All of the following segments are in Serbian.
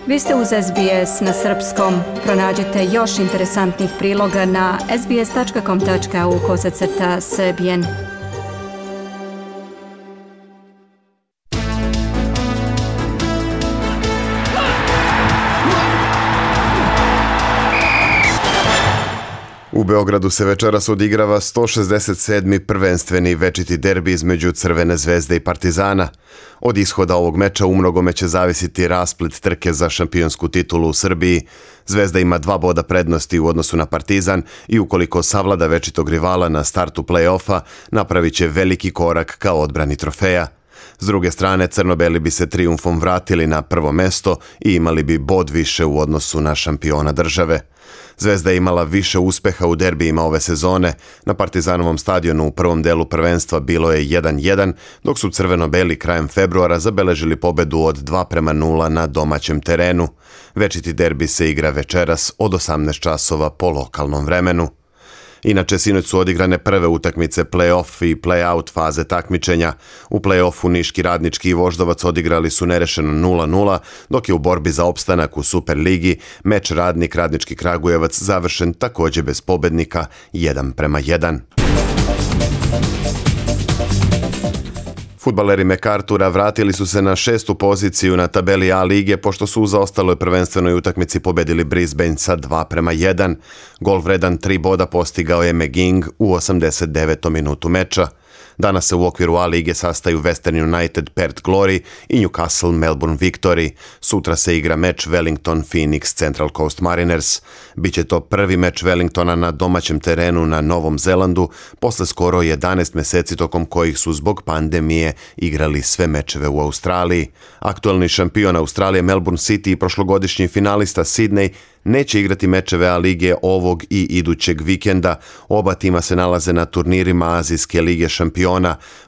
Vi ste uz SBS na srpskom. Pronađite još interesantnih priloga na sbs.com.au/srbijen. U Beogradu se večeras odigrava 167. prvenstveni večiti derbi između Crvene zvezde i Partizana. Od ishoda ovog meča umnogome će zavisiti rasplet trke za šampionsku titulu u Srbiji. Zvezda ima 2 boda prednosti u odnosu na Partizan i ukoliko savlada večitog rivala na startu play-offa, napravit će veliki korak ka odbrani trofeja. S druge strane, crno-beli bi se trijumfom vratili na prvo mesto i imali bi bod više u odnosu na šampiona države. Zvezda je imala više uspeha u derbijima ove sezone. Na Partizanovom stadionu u prvom delu prvenstva bilo je 1-1, dok su crveno-beli krajem februara zabeležili pobedu od 2-0 na domaćem terenu. Večiti derbi se igra večeras od 18 časova po lokalnom vremenu. Inače, sinoć su odigrane prve utakmice play-off i play-out faze takmičenja. U play-offu Niški Radnički i Voždovac odigrali su nerešeno 0-0, dok je u borbi za opstanak u Superligi meč Radnički Kragujevac završen također bez pobednika 1-1. Fudbaleri MacArthura vratili su se na 6. poziciju na tabeli A lige pošto su u zaostaloj prvenstvenoj utakmici pobedili Brisbane sa 2-1. Gol vredan 3 boda postigao je McGing u 89. minutu meča. Danas se u okviru A lige sastaju Western United Perth Glory i Newcastle Melbourne Victory. Sutra se igra meč Wellington Phoenix Central Coast Mariners. Biće to prvi meč Wellingtona na domaćem terenu na Novom Zelandu posle skoro 11 meseci tokom kojih su zbog pandemije igrali sve mečeve u Australiji. Aktuelni šampion Australije Melbourne City i prošlogodišnji finalista Sydney neće igrati mečeve A lige ovog i idućeg vikenda. Oba tima se nalaze na turnirima Azijske lige šampiona.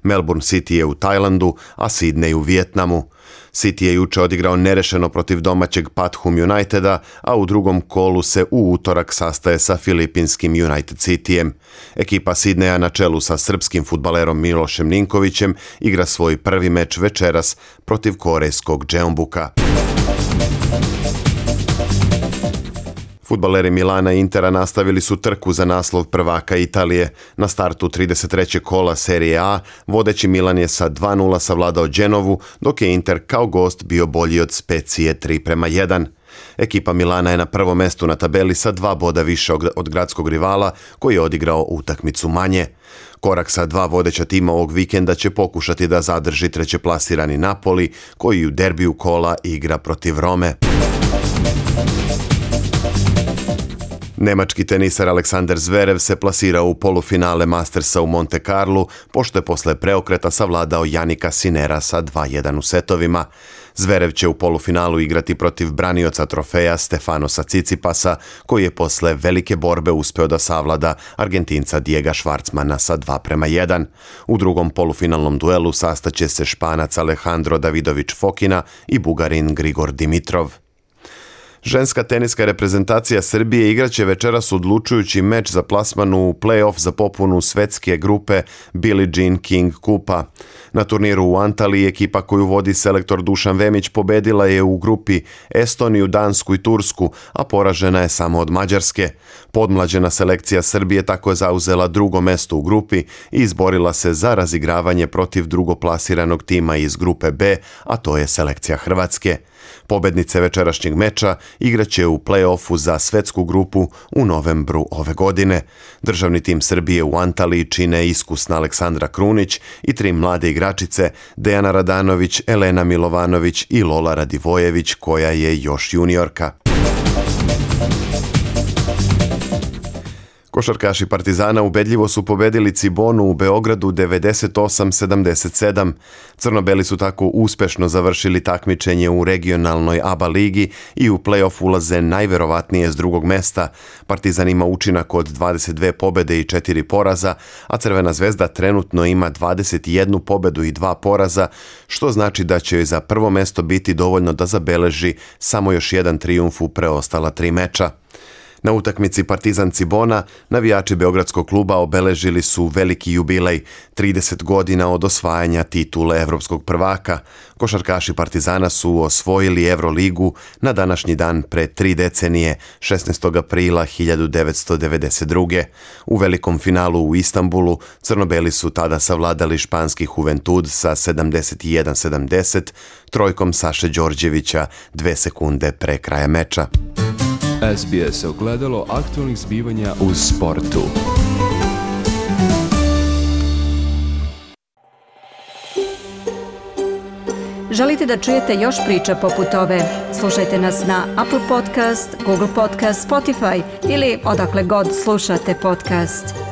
Melbourne City je u Tajlandu, a Sydney u Vijetnamu. City je juče odigrao nerešeno protiv domaćeg Pathum Uniteda, a u drugom kolu se u utorak sastaje sa filipinskim United Cityjem. Ekipa Sydneya na čelu sa srpskim fudbalerom Milošem Ninkovićem igra svoj prvi meč večeras protiv korejskog Jeonbuka. Fudbaleri Milana i Intera nastavili su trku za naslov prvaka Italije. Na startu 33. kola Serije A vodeći Milan je sa 2-0 savladao Genovu, dok je Inter kao gost bio bolji od Specije 3-1. Ekipa Milana je na prvom mestu na tabeli sa 2 boda više od gradskog rivala koji je odigrao utakmicu manje. Korak sa 2 vodeća tima ovog vikenda će pokušati da zadrži trećeplasirani Napoli koji u derbiju kola igra protiv Rome. Nemački tenisar Aleksander Zverev se plasirao u polufinale Mastersa u Monte Carlu, pošto je posle preokreta savladao Janika Sinera sa 2-1 u setovima. Zverev će u polufinalu igrati protiv branioca trofeja Stefanosa Cicipasa, koji je posle velike borbe uspeo da savlada Argentinca Diega Schwartzmana sa 2-1. U drugom polufinalnom duelu sastaće se Španac Alejandro Davidović Fokina i Bugarin Grigor Dimitrov. Ženska teniska reprezentacija Srbije igraće večeras odlučujući meč za plasman u play-off za popunu svetske grupe Billie Jean King Kupa. Na turniru u Antaliji ekipa koju vodi selektor Dušan Vemić pobedila je u grupi Estoniju, Dansku i Tursku, a poražena je samo od Mađarske. Podmlađena selekcija Srbije tako je zauzela drugo mesto u grupi i izborila se za razigravanje protiv drugoplasiranog tima iz grupe B, a to je selekcija Hrvatske. Pobednice večerašnjeg meča igraće u play-offu za svetsku grupu u novembru ove godine. Državni tim Srbije u Antaliji čine iskusna Aleksandra Krunić i 3 mlade igračice Dejana Radanović, Elena Milovanović i Lola Radivojević, koja je još juniorka. Košarkaši Partizana ubedljivo su pobedili Cibonu u Beogradu 98-77. Crno-beli su tako uspešno završili takmičenje u regionalnoj ABA ligi i u play-off ulaze najverovatnije s drugog mesta. Partizan ima učinak od 22 pobede i 4 poraza, a Crvena zvezda trenutno ima 21 pobedu i 2 poraza, što znači da će joj za prvo mesto biti dovoljno da zabeleži samo još jedan trijumf u preostala 3 meča. Na utakmici Partizan Cibona navijači Beogradskog kluba obeležili su veliki jubilej, 30 godina od osvajanja titule evropskog prvaka. Košarkaši Partizana su osvojili Euroligu na današnji dan pre 3 decenije, 16. aprila 1992. U velikom finalu u Istanbulu crno-beli su tada savladali španski Juventud sa 71-70, trojkom Saše Đorđevića 2 sekunde pre kraja meča. SBS ogledalo aktualnih zbivanja u sportu. Želite da čujete još priča poput ove? Slušajte nas na Apple Podcast, Google Podcast, Spotify ili odakle god slušate podcast.